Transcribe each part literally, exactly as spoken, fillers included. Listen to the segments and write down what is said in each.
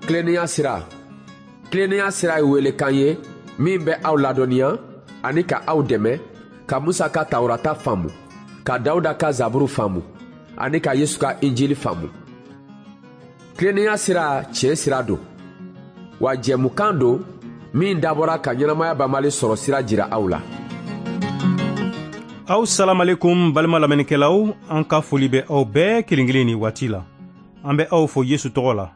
Tilennenya sira. Tilennenya sira ye welekan ye min bɛ aw ladɔnniya ani ka aw dɛmɛ ka Musa ka Tawurata faamu, ka Dawuda ka Zaburu faamu ani ka Yesu ka Injili faamu. Tilennenya sira tiɲɛ sira don, wa jɛmukan don min dabɔra ka ɲɛnamaya banbali sɔrɔ sira jira aw la. Aw salamalekum balima lamɛnnikɛlaw, an ka foli bɛ aw bɛɛ kelen kelen ni waati la. An bɛ aw fo Yesu tɔgɔ la.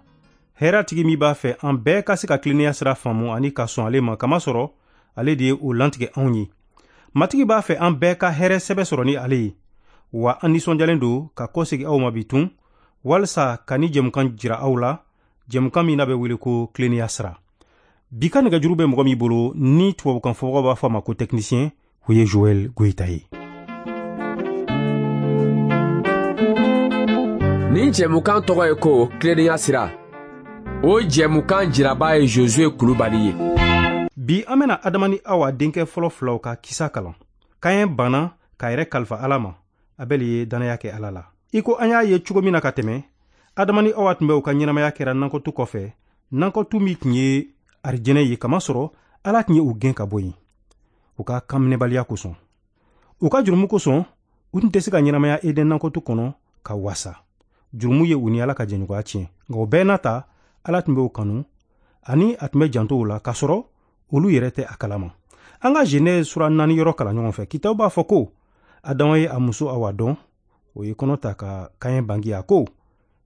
Hɛrɛ tigi min b'a fɛ an bɛɛ ka se ka tilennenya sira faamu ani ka sɔn ale ma, kamasɔrɔ ale de ye o lantigɛ anw ye. Matigi b'a fɛ an bɛɛ ka hɛrɛ sɛbɛ sɔrɔ ni ale ye. Wa an nisɔndiyalen don ka kɔsegin aw ma bi tun, walisa ka ni jɛmukan jira aw la, jɛmukan min n'a bɛ wele ko tilennenya sira. Bi ka nɛgɛjuru bɛ mɔgɔ min bolo ni tubabukan fɔbagaw b'a fɔ a ma ko technicien, o ye Joël Goïta ye. Nin jɛmukan tɔgɔ ye ko tilennenya sira. O jɛmukan jiraba ye Josué Kulubali ye. Bi an bɛna Adama ni Awa denkɛ fɔlɔ filaw ka kisa kalan. Kayɛn banna k'a yɛrɛ kalifa Ala ma, Abɛl ye dannaya kɛ Ala la. I ko an y'a ye cogo min na ka tɛmɛ, Adama ni Awa tun bɛ u ka ɲɛnamaya kɛra nankɔtu kɔfɛ, nankɔtu min tun ye arijɛnɛ ye, kamasɔrɔ Ala tun ye u gɛn ka bɔ yen u ka kanminɛbaliya kosɔn. U ka jurumu kosɔn, u tun tɛ se ka ɲɛnamaya Eden nankɔtu kɔnɔ ka wasa. Jurumu ye u ni Ala ka jɛɲɔgɔnya tiɲɛ, nka o bɛɛ n'a ta, Ala tun bɛ u kanu ani a tun bɛ janto u la, k'a sɔrɔ olu yɛrɛ tɛ a kalama. An ka Genèse sura naani yɔrɔ kalan ɲɔgɔn fɛ. Kitabu b'a fɔ ko Adama ye a muso Awa dɔn, o ye kɔnɔ ta ka Kayɛn bange. A ko,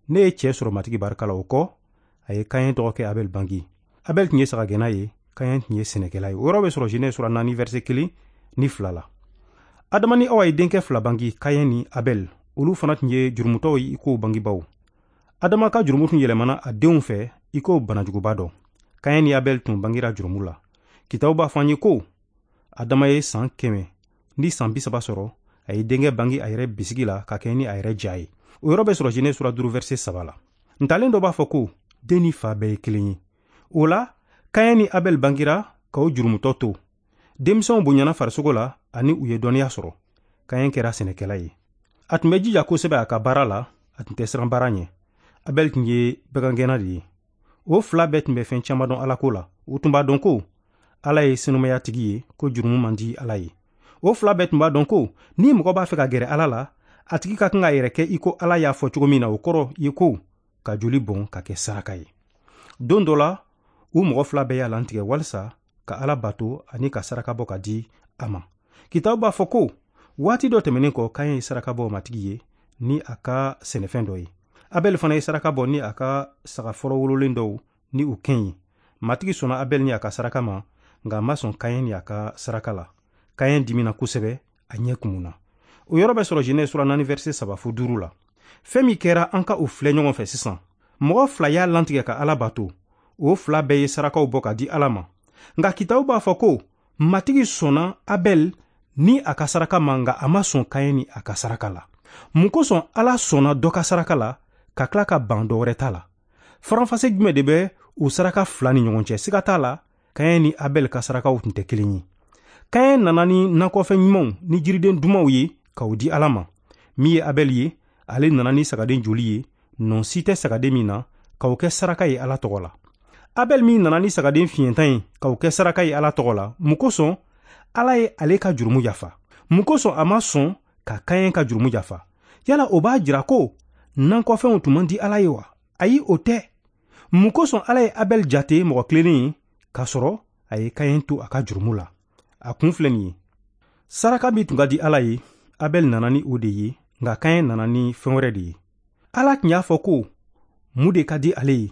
ne ye cɛ sɔrɔ Matigi barika la. O kɔ, a ye Kayɛn dɔgɔkɛ Abɛl bange. Abɛl tun ye sagagɛnna ye, Kayɛn tun ye sɛnɛkɛla ye. O yɔrɔ bɛ sɔrɔ Genèse sura naani verset kelen ni fila la. Adama ni Awa ye denkɛ fila bange, Kayɛn ni Abɛl. Olu fana tun ye jurumutɔw ye i ko bangebaaw. Adama ka jurumu tun yɛlɛmana a denw fɛ i ko banajuguba dɔ. Kayɛn ni Abɛl tun bangera jurumu la. Kitabu b'a fɔ an ye ko Adama ye san kɛmɛ ni san bi saba sɔrɔ, a ye denkɛ bange a yɛrɛ bisigi la ka kɛ ni a yɛrɛ ja ye. O yɔrɔ bɛ sɔrɔ Genèse sura duuru verset saba la. Ntalen dɔ b'a fɔ ko den ni fa bɛɛ ye kelen ye. O la, Kayɛn ni Abɛl bangera ka o jurumutɔ to. Denmisɛnw bonyana farisogo la ani u ye dɔnniya sɔrɔ. Kayɛn kɛra sɛnɛkɛla ye. A tun bɛ jija kosɛbɛ a ka baara la, a tun tɛ siran baara ɲɛ. Abɛl tun ye bagangɛnna de ye. O fila bɛɛ tun bɛ fɛn caman dɔn Ala ko la. U tun b'a dɔn ko Ala ye senumaya tigi ye, ko jurumu man di Ala ye. O fila bɛɛ tun b'a dɔn ko ni mɔgɔ b'a fɛ ka gɛrɛ Ala la, a tigi ka kan k'a yɛrɛ kɛ i ko Ala y'a fɔ cogo min na, o kɔrɔ ye ko ka joli bɔn ka kɛ saraka ye. Don dɔ la, u mɔgɔ fila bɛɛ y'a lantigɛ walisa ka Ala bato ani ka saraka bɔ ka di a ma. Kitabu b'a fɔ ko waati dɔ tɛmɛnen kɔ, Kayɛn ye saraka bɔ Matigi ye ni a ka sɛnɛfɛn dɔ ye. Abɛl fana ye saraka bɔ ni a ka saga fɔlɔ wololen dɔw ni u kɛn ye. Matigi sɔnna Abɛl ni a ka saraka ma, nka a ma sɔn Kayɛn ni a ka saraka la. Kayɛn dimina kosɛbɛ, a ɲɛ kumunna. O yɔrɔ bɛ sɔrɔ Genèse sura naani verset saba fo duuru la. Fɛn min kɛra, an ka o filɛ ɲɔgɔn fɛ sisan. Mɔgɔ fila y'a lantigɛ ka Ala bato. O fila bɛɛ ye sarakaw bɔ ka di Ala ma. Nka kitabu b'a fɔ ko Matigi sɔnna Abɛl ni a ka saraka ma, nka a ma sɔn Kayɛn ni a ka saraka la. Mun kosɔn Ala sɔnna dɔ ka saraka la ka tila ka ban dɔ wɛrɛ ta la? Faranfasi jumɛn de bɛ o saraka fila ni ɲɔgɔn cɛ? Siga t'a la, Kayɛn ni Abɛl ka sarakaw tun tɛ kelen ye. Kayɛn nana ni nakɔfɛn ɲumanw ni jiriden dumanw ye k'o di Ala ma. Min ye Abɛl ye, ale nana ni sagaden joli ye, nɔ si tɛ sagaden min na, k'o kɛ saraka ye Ala tɔgɔ la. Abɛl min nana ni sagaden fiɲɛtan ye k'o kɛ saraka ye Ala tɔgɔ la, mun kosɔn Ala ye ale ka jurumu yafa? Mun kosɔn a ma sɔn ka Kayɛn ka jurumu yafa? Yala o b'a jira ko nankɔfɛnw tun man di Ala ye wa? Ayi, o tɛ. Mun kosɔn Ala ye Abɛl jate mɔgɔ tilennen ye k'a sɔrɔ a ye Kayɛn to a ka jurumu la? A kun filɛ nin ye. Saraka min tun ka di Ala ye, Abɛl nana ni o de ye, nka Kayɛn nana ni fɛn wɛrɛ de ye. Ala tun y'a fɔ ko mun de ka di ale ye,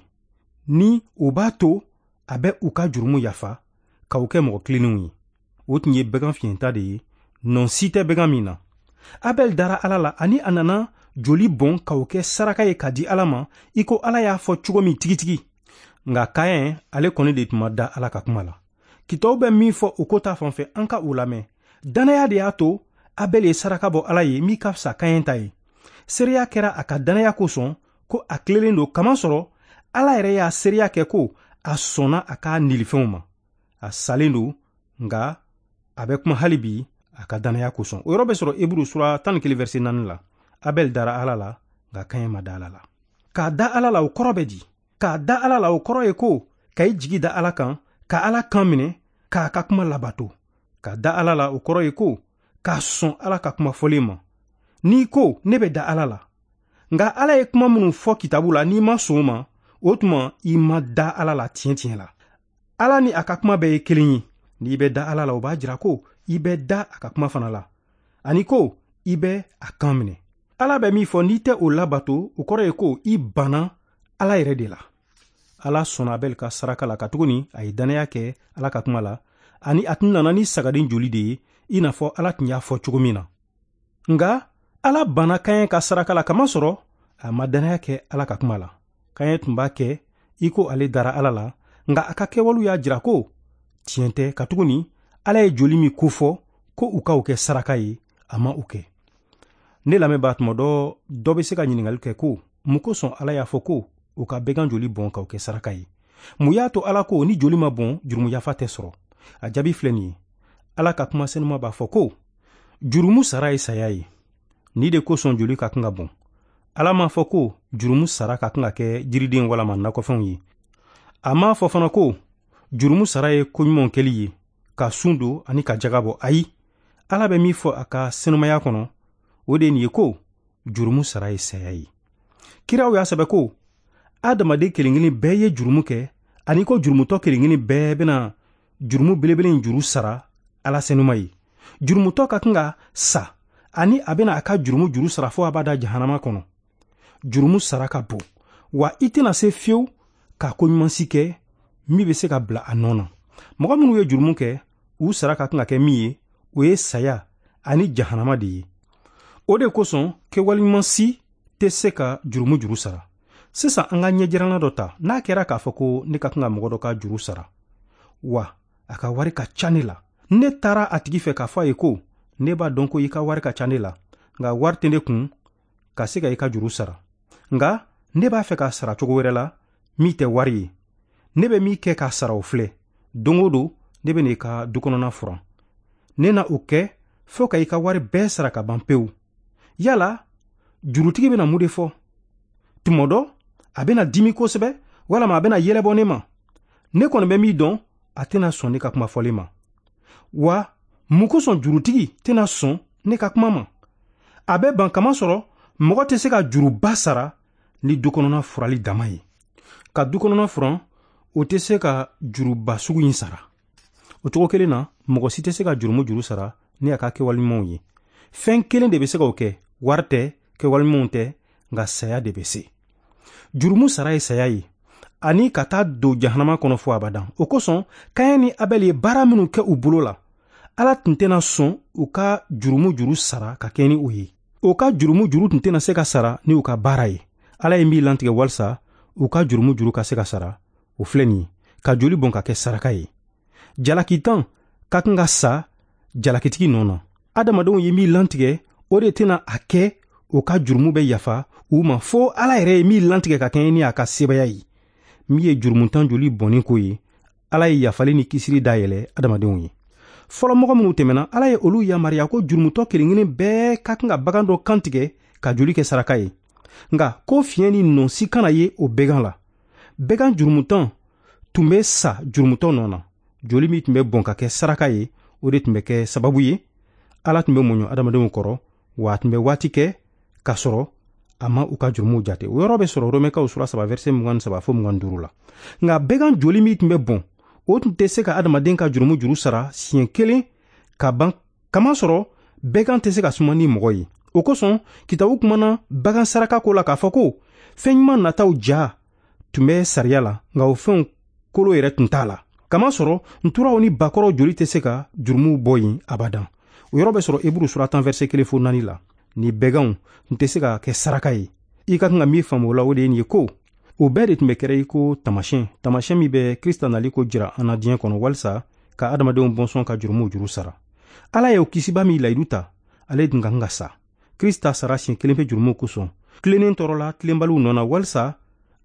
ni o b'a to a bɛ u ka jurumu yafa k'u kɛ mɔgɔ tilennenw ye. O tun ye bagan fiɲɛta de ye, nɔ si tɛ bagan min na. Abɛl dara Ala la ani a nana joli bɔn k'o kɛ saraka ye ka di Ala ma, i ko Ala y'a fɔ cogo min tigitigi. Nka Kayɛn, ale kɔni de tun ma da Ala ka kuma la. Kitabu bɛ min fɔ o ko ta fan fɛ, an ka o lamɛn. Dannaya de y'a to Abɛl ye saraka bɔ Ala ye min ka fisa Kayɛn ta ye. Seereya kɛra a ka dannaya kosɔn ko a tilelen don, kamasɔrɔ Ala yɛrɛ y'a seereya kɛ ko a sɔnna a ka nilifɛnw ma. A salen don, nka a bɛ kuma hali bi a ka dannaya kosɔn. O yɔrɔ bɛ sɔrɔ Eburu sura tan ni kelen verset naani la. Abɛl dara Ala la, nka Kayɛn ma da Ala la. K'a da Ala la, o kɔrɔ bɛ di? Ka da Ala la, o kɔrɔ ye ko ka i jigi da Ala kan, ka Ala kan minɛ, k'a ka kuma labato. Ka da Ala la, o kɔrɔ ye ko k'a sɔn Ala ka kuma fɔlen ma. N'i ko ne bɛ da Ala la, nka Ala ye kuma minnu fɔ kitabu la, n'i ma sɔn o ma, o tuma i ma da Ala la tiɲɛ tiɲɛ la. Ala ni a ka kuma bɛɛ ye kelen ye. N'i bɛ da Ala la, o b'a jira ko i bɛ da a ka kuma fana la, ani ko i bɛ a kan minɛ. Ala bɛ min fɔ, n'i tɛ o labato, o kɔrɔ ye ko i banna Ala yɛrɛ de la. Ala sɔnna Abɛl ka saraka la, katuguni a ye dannaya kɛ Ala ka kuma la, ani a tun nana ni sagaden joli de ye, i n'a fɔ Ala tun y'a fɔ cogo min na. Nka Ala banna Kaɲɛ ka saraka la, kamasɔrɔ a ma dannaya kɛ Ala ka kuma la. Kaɲɛ tun b'a kɛ i ko ale dara Ala la, nka a ka kɛwalew y'a jira ko tiɲɛ tɛ, katuguni Ala ye joli min kofɔ ko u ka o kɛ saraka ye, a ma o kɛ. Ne lamɛnbaa, tuma dɔ dɔ bɛ se ka ɲininkali kɛ ko mun kosɔn Ala y'a fɔ ko u ka bɛgan joli bɔn k'o kɛ saraka ye? Mun y'a to Ala ko ni joli ma bɔn, jurumu yafa tɛ sɔrɔ? A jaabi filɛ nin ye. Ala ka kuma senuma b'a fɔ ko jurumu sara ye saya ye. Ni de kosɔn joli ka kan ka bɔn. Ala m'a fɔ ko jurumu sara ka kan ka kɛ jiriden walama nakɔfɛnw ye. A m'a fɔ fana ko jurumu sara ye koɲumanw kɛli ye, ka sun don ani ka jaga bɔ. Ayi, Ala bɛ min fɔ a ka senumaya kɔnɔ, o de ye nin ye ko jurumu sara ye saya ye. Kiraw y'a sɛbɛ ko adamaden kelen kelen bɛɛ ye jurumu kɛ, ani ko jurumutɔ kelen kelen bɛɛ bɛna jurumu belebele in juru sara Ala senuma ye. Jurumutɔ ka kan ka sa, ani a bɛna a ka jurumu juru sara fo a b'a da jahanama kɔnɔ. Jurumu sara ka bon, wa i tɛna se fiyewu ka koɲuman si kɛ min bɛ se ka bila a nɔ na. Mɔgɔ minnu ye jurumu kɛ, u sara ka kan ka kɛ min ye, o ye saya ani jahanama de ye. O de kosɔn kɛwaleɲuman si tɛ se ka jurumu juru sara. Sisan an ka ɲɛjiranna dɔ ta. N'a kɛra k'a fɔ ko ne ka kan ka mɔgɔ dɔ ka juru sara, wa a ka wari ka ca ne la, ne taara a tigi fɛ k'a fɔ a ye ko ne b'a dɔn ko i ka wari ka ca ne la, nka wari tɛ ne kun ka se ka i ka juru sara. Nka ne b'a fɛ k'a sara cogo wɛrɛ la min tɛ wari ye. Ne bɛ min kɛ k'a sara o filɛ. Don o don ne bɛ n'i ka du kɔnɔna furan. Ne na o kɛ fo ka i ka wari bɛɛ sara ka ban pewu. Yala jurutigi bɛna mun de fɔ? Tuma dɔ a bɛna dimi kosɛbɛ, walama a bɛna yɛlɛ bɔ ne ma. Ne kɔni bɛ min dɔn, a tɛna sɔn ne ka kuma fɔlen ma. Wa mun kosɔn jurutigi tɛna sɔn ne ka kuma ma? A bɛ ban, kamasɔrɔ mɔgɔ tɛ se ka juruba sara ni du kɔnɔna furali dama ye. Ka du kɔnɔna furan, o tɛ se ka juruba sugu in sara. O cogo kelen na, mɔgɔ si tɛ se ka jurumu juru sara ni a ka kɛwale ɲumanw ye. Fɛn kelen de bɛ se k'o kɛ, wari tɛ, kɛwale ɲumanw tɛ, nka saya de bɛ se. Jurumu sara ye saya ye, ani ka taa don jahanama kɔnɔ fo abadan. O kosɔn Kaɲɛ ni Abɛl ye baara minnu kɛ u bolo la, Ala tun tɛna sɔn u ka jurumu juru sara ka kɛ ni o ye. O ka jurumu juru tun tɛna se ka sara ni u ka baara ye. Ala ye min lantigɛ walisa u ka jurumu juru ka se ka sara, o filɛ nin ye, ka joli bɔn ka kɛ saraka ye. Jalakitan ka kan ka sa jalakitigi nɔ na. Adamadenw ye min lantigɛ, o de tɛna a kɛ o ka jurumu bɛ yafa u ma, fo Ala yɛrɛ ye min lantigɛ ka kɛɲɛ ni a ka sebaya ye. Min ye jurumutan joli bɔnni ko ye, Ala ye yafali ni kisili dayɛlɛ adamadenw ye. Fɔlɔmɔgɔ minnu tɛmɛna, Ala ye olu yamaruya ko jurumutɔ kelen kelen bɛɛ ka kan ka bagan dɔ kantigɛ ka joli kɛ saraka ye. Nka ko fiɲɛ ni nɔnsi kana ye o bɛgan la. Bɛgan jurumutan tun bɛ sa jurumutɔ nɔ na. Joli min tun bɛ bɔn ka kɛ saraka ye, o de tun bɛ kɛ sababu ye Ala tun bɛ muɲu adamadenw kɔrɔ, wa a tun bɛ waati kɛ k'a sɔrɔ a ma u ka jurumuw jate. O yɔrɔ bɛ sɔrɔ Romɛkaw sura saba verset mugan ni saba fo mugan ni duuru la. Nka bɛgan joli min tun bɛ bɔn, o tun tɛ se ka adamaden ka jurumu juru sara siɲɛ kelen ka ban, kamasɔrɔ bɛgan tɛ se ka suma ni mɔgɔ ye. O kosɔn kitabu kumana bagan saraka ko la k'a fɔ ko fɛn ɲuman nataw ja tun bɛ sariya la, nka o fɛnw kolo yɛrɛ tun t'a la. Kamasɔrɔ nturaw ni bakɔrɔw joli tɛ se ka jurumuw bɔ yen abadan. O yɔrɔ bɛ sɔrɔ Eburu sura tan verset kelen fo naani la. Ni bɛganw tun tɛ se ka kɛ saraka ye. I ka kan ka min faamu o la, o de ye nin ye ko o bɛɛ de tun bɛ kɛra i ko taamasiyɛn, taamasiyɛn min bɛ Krista nali ko jira an na diɲɛ kɔnɔ walisa ka adamadenw bɔnsɔn ka jurumuw juru sara. Ala ye o kisiba min layidu ta, ale tun ka kan ka sa. Krista sara siɲɛ kelen pe jurumuw kosɔn, tilennen tɔɔrɔ la tilenbaliw nɔ na walisa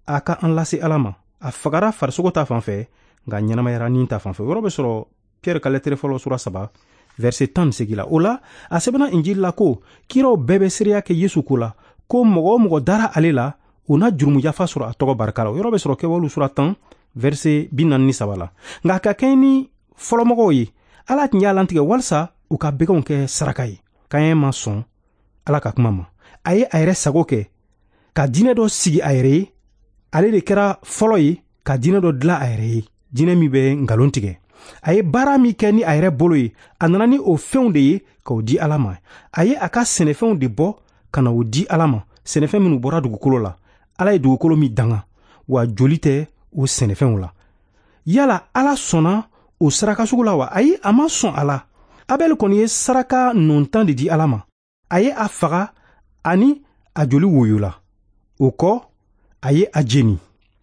a ka an lase Ala ma. A fagara farisogo ta fan fɛ, nka ɲɛnamayara ni ta fan fɛ. O yɔrɔ bɛ sɔrɔ Pierre ka lɛtɛrɛ fɔlɔ sura saba verset tan ni seegin la. O la a sɛbɛnna Injili la ko kiraw bɛɛ bɛ seereya kɛ Yesu ko la, ko mɔgɔ o mɔgɔ dara ale la, o na jurumu yafa sɔrɔ a tɔgɔ barika la. O yɔrɔ bɛ sɔrɔ Kɛwalew sura tan verset bi naani ni saba la. Nka ka kɛɲɛ ni fɔlɔmɔgɔw ye, Ala tun y'a lantigɛ walisa u ka bɛganw kɛ saraka ye. Kaɲɛ ma sɔn Ala ka kuma ma. A ye a yɛrɛ sago kɛ ka diinɛ dɔ sigi a yɛrɛ ye. Ale de kɛra fɔlɔ ye ka diinɛ dɔ dilan a yɛrɛ ye, diinɛ min bɛ nkalon tigɛ. A ye baara min kɛ ni a yɛrɛ bolo ye, a nana ni o fɛnw de ye k'o di Ala ma. A ye a ka sɛnɛfɛnw de bɔ ka na o di Ala ma, sɛnɛfɛn minnu bɔra dugukolo la. Ala ye dugukolo min danga, wa joli tɛ o sɛnɛfɛnw la. Yala Ala sɔnna o saraka sugu la wa? Ayi, a ma sɔn a la. Abɛl kɔni ye saraka nɔntan de di Ala ma. A ye a faga ani a joli woyola. O kɔ, a ye a jeni.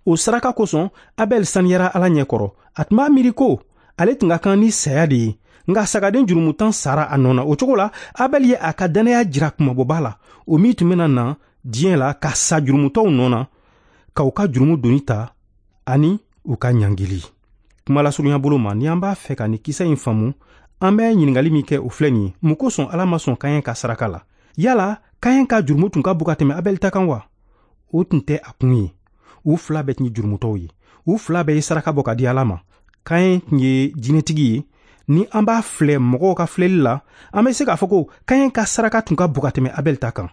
O saraka kosɔn, Abɛl saniyara Ala ɲɛkɔrɔ. A tun b'a miiri ko ale tun ka kan ni saya de ye, nka sagaden jurumutan sara a nɔ na. O cogo la, Abɛl ye a ka dannaya jira kumabɔba la, o min tun bɛna na diɲɛ la ka sa jurumutɔw nɔ na, ka u ka jurumu doni ta ani u ka ɲangili. Kuma lasurunya bolo ma, ni an b'a fɛ ka nin kisa in faamu, an bɛ ɲininkali min kɛ o filɛ nin ye: mun kosɔn Ala ma sɔn Kaɲɛ ka saraka la? Yala Kaɲɛ ka jurumu tun ka bon ka tɛmɛ Abɛl ta kan wa? O tun tɛ a kun ye. U fila bɛɛ tun ye jurumutɔw ye. U fila bɛɛ ye saraka bɔ ka di Ala ma. Kaɲɛ tun ye jinɛtigi ye. Ni an b'a filɛ mɔgɔw ka filɛli la, an bɛ se k'a fɔ ko Kaɲɛ ka saraka tun ka bon ka tɛmɛ Abɛl ta kan.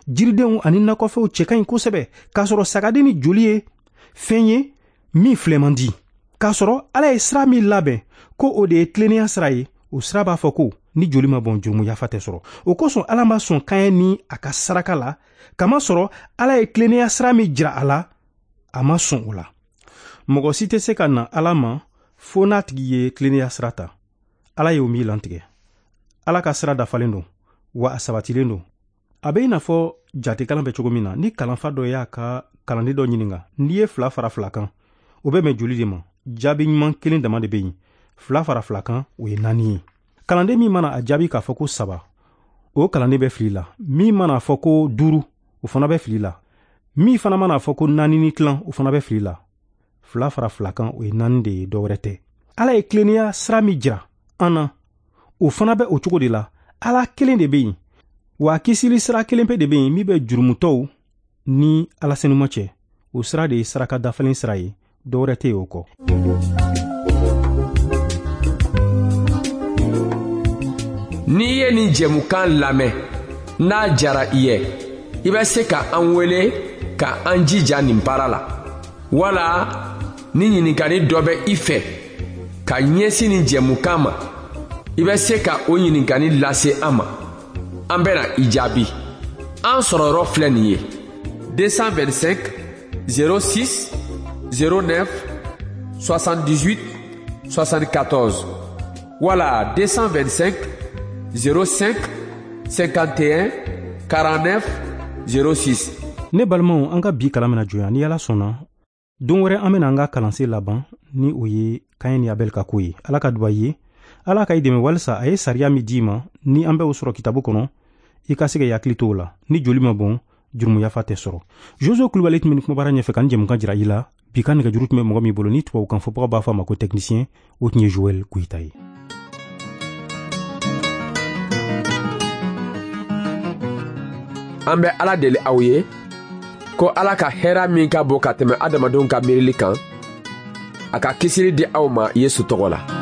Jiridenw ani nakɔfɛnw cɛ ka ɲi kosɛbɛ, k'a sɔrɔ sagaden ni joli ye fɛn ye min filɛ man di. K'a sɔrɔ Ala ye sira min labɛn ko o de ye tilennenya sira ye, o sira b'a fɔ ko ni joli ma bɔn, jurumu yafa tɛ sɔrɔ. O kosɔn Ala ma sɔn Kaɲɛ ni a ka saraka la, kamasɔrɔ Ala ye tilennenya sira min jira a la, a ma sɔn o la. Mɔgɔ si tɛ se ka na Ala ma fo n'a tigi ye tilennenya sira ta. Ala y'o min lantigɛ. Ala ka sira dafalen don, wa a sabatilen don. A bɛ i n'a fɔ jatekalan bɛ cogo min na, ni kalanfa dɔ y'a ka kalanden dɔ ɲininka, n'i ye fila fara fila kan, o bɛ bɛn joli de ma? Jaabi ɲuman kelen dama de bɛ yen. Fila fara fila kan, o ye naani ye. Kalanden min mana a jaabi k'a fɔ ko saba, o kalanden bɛ fili la. Min mana fɔ ko duuru, o fana bɛ fili la. Min fana mana fɔ ko naani ni tilan, o fana bɛ fili la. Fila fara fila kan, o ye naani de ye, dɔwɛrɛ tɛ. Ala ye tilennenya sira min jira an na, o fana bɛ o cogo de la. Ala kelen de bɛ yen, wa kisili sira kelen pe de bɛ yen min bɛ jurumutɔw ni Ala senuma cɛ. O sira de ye saraka dafalen sira ye, dɔwɛrɛ tɛ yen o kɔ. N'i ye nin jɛmukan lamɛn, n'a jara i ye, i bɛ se ka an wele ka an jija nin baara la. Wala ni ɲininkali dɔ bɛ i fɛ ka ɲɛsin nin jɛmukan ma, i bɛ se ka o ɲininkali lase an ma. An bɛna i jaabi. An sɔrɔ yɔrɔ filɛ nin ye: deux cent vingt-cinq zéro six zéro neuf soixante-dix-huit soixante-quatorze wala deux cent vingt-cinq zéro cinq cinquante et un quarante-neuf zéro six. Ne balimaw, an ka bi kalan bɛna jɔ yan. Ni Ala sɔnna, don wɛrɛ an bɛna an ka kalansen laban ni o ye Kaɲɛ ni Abɛl ka ko ye. Ala ka duba ye. Ala ka i dɛmɛ walisa a ye sariya min d'i ma, ni an bɛ o sɔrɔ kitabu kɔnɔ, i ka se ka hakili to o la. Ni joli ma bɔn, jurumu yafa tɛ sɔrɔ. Jozo Kulubali tun bɛ nin kumabara ɲɛfɛ ka nin jɛmukan jira i la. Bi ka nɛgɛjuru tun bɛ mɔgɔ min bolo, ni tubabukan fɔbagaw b'a fɔ a ma ko technicien, o tun ye Joël Goyita ye. An bɛ Ala deli aw ye ko Ala ka hɛrɛ min ka bon ka tɛmɛ adamadenw ka miirili kan, a ka kisili di aw ma Yesu tɔgɔ la.